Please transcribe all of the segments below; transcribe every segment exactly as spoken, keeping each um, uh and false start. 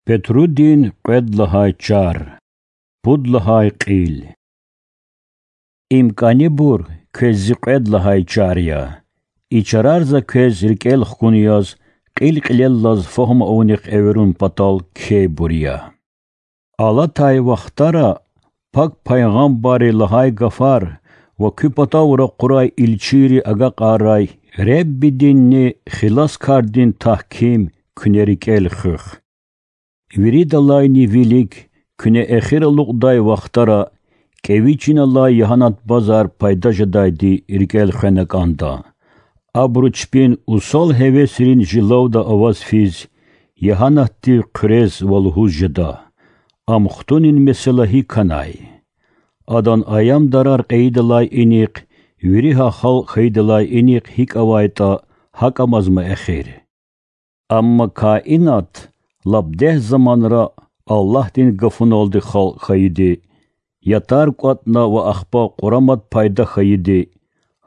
Петрудин кьвед лагьай чар. Пуд лагьай кьил. Им кӀанибур квез зи кьвед лагьай чар я. И чарар за квез рикӀел хкун яз, кьил-кьилеллаз фагьум авунихъ эверун патал кхьейбур я. Алатай вахтара пак пайгъамбарри лагьай гафар ва куь патав ракъурай илчийри агакьарай Реббидинни Хиласкардин тагьким куьне рикӀел хуьх. Виридалайни вилик куьне эхир алукьдай вахтара кӀеви чин алай ягьанат базар пайда жедайди рикӀел хвена кӀанда. Абуру чпин усал гьевесрин жилавда аваз физ, ягьанатдив хъуьрез ва лугьуз жеда: Ам хтунин месэла гьикӀ хьанай? Адан аямдарар кьейидалай инихъ, вири гьа халкь хьайидалай инихъ гьикӀ авайтӀа, гьакӀ амазма эхир. Амма каинат лап дегь заманра Аллагьдин гафуналди халкь хьайиди, ятар кӀватӀна ва ахпа къурамат пайда хьайиди,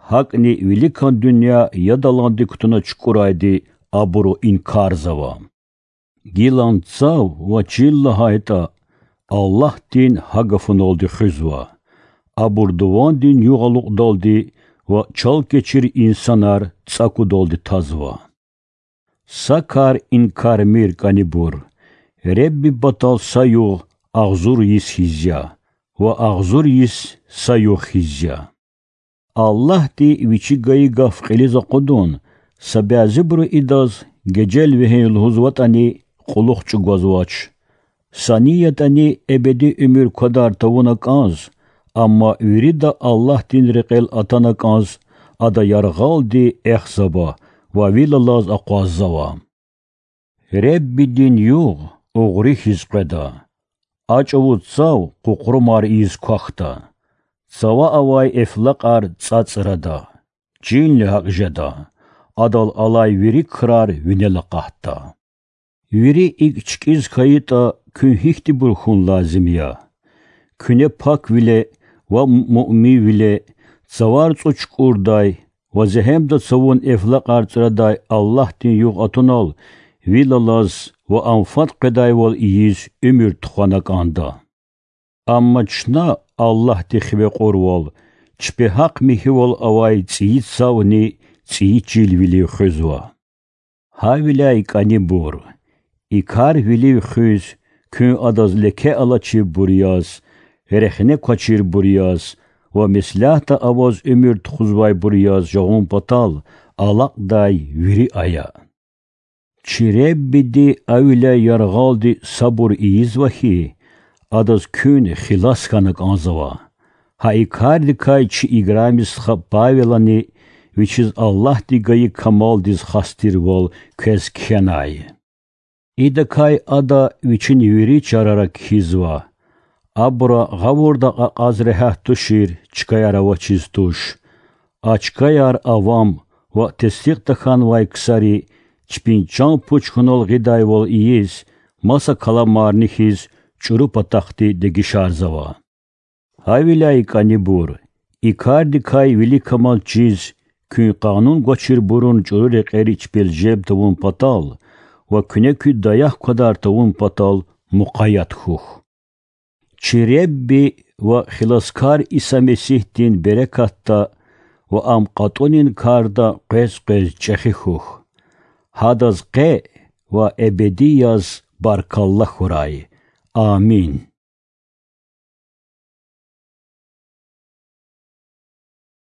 гьакӀни виликан дуьнья яд аланди кутуна чукӀурайди абуру инкарзава. Гилан цав ва чил лагьайтӀа, Аллагьдин гьа гафуналди хуьзва. Абур дувандин югъ алукьдалди ва чалкечир инсанар цӀакудалди тазва. Са кар инкармир, кӀанибур: Ребби патал са югъ агъзур йис хьиз я ва агъзур йис са югъ хьиз я. Аллагьди Вичи гайи гаф кьилиз акъудун, са бязибуру идаз гежел вегьин лугьузватӀани, кьулухъ чӀугвазвач. Са ни ятӀани эбеди уьмуьр квадар тавуна кӀанз, амма вирида Аллагьдин рекьел атана кӀанз, ада яргъалди эхзава ва вил алаз акъваззава. Реббидин югъ угъри хьиз къведа, а чӀавуз цав къукърумар ийиз квахьда, цава авай эфлакьар цӀацӀрада, чинни гьакӀ жеда, адал алай вири крар винел акъатда. Вири икӀ чкӀиз хьайитӀа, куьн гьихьтинбур хьун лазим я? Куьне паквиле ва муъминвиле цавар цӀуд чукӀурдай ва зегьемда цавун эфлакьар цӀрадай Аллагьдин югъ атунал вил алаз ва ам фад къведайвал ийиз уьмуьр тухвана кӀанда. Амма чна Аллагьди хиве кьурвал, чпи гьахъ михьивал авай цӀийи цавни цӀийи чилвилив хуьзва. Гьавиляй, кӀанибур, и кар вилив хуьз, куьн адаз леке алачирбур яз, рехне квачирбур яз ва меслятда аваз уьмуьр тухузвайбур яз жагъун патал алакьдай вири ая. Чи Реббиди гьавиляй яргъалди сабур ийизва хьи, адаз куьн хилас хьана кӀанзава. Гьа и кардикай чи играми стха Павелани вичиз Аллагьди гайи камалдиз хас тирвал квез кхьенай. Идакай ада вичин вири чарара кхьизва. Абура гъавурда кьакьаз регьят тушир чкаяр авачиз туш. А чкаяр авам ва тестикь тахьанвай ксари чпин чан-пуч хьунал гъидайвал ийиз, маса каламарни хьиз, чӀуру патахъди дегишарзава. Гьавиляй, кӀанибур, и кардикай виликамаз чиз, куьн къанун гвачирбурун чӀуру рекьери чпел жеб тавун патал ва куьне куь даях квадар тавун патал мукъаят хьухь. Чи Ребби ва Хиласкар Иса Месигьдин берекатда ва Ам кьатӀунин карда къвез-къвез чӀехи хьухь. Гьадаз къе ва эбеди яз баркалла хьурай. Амин.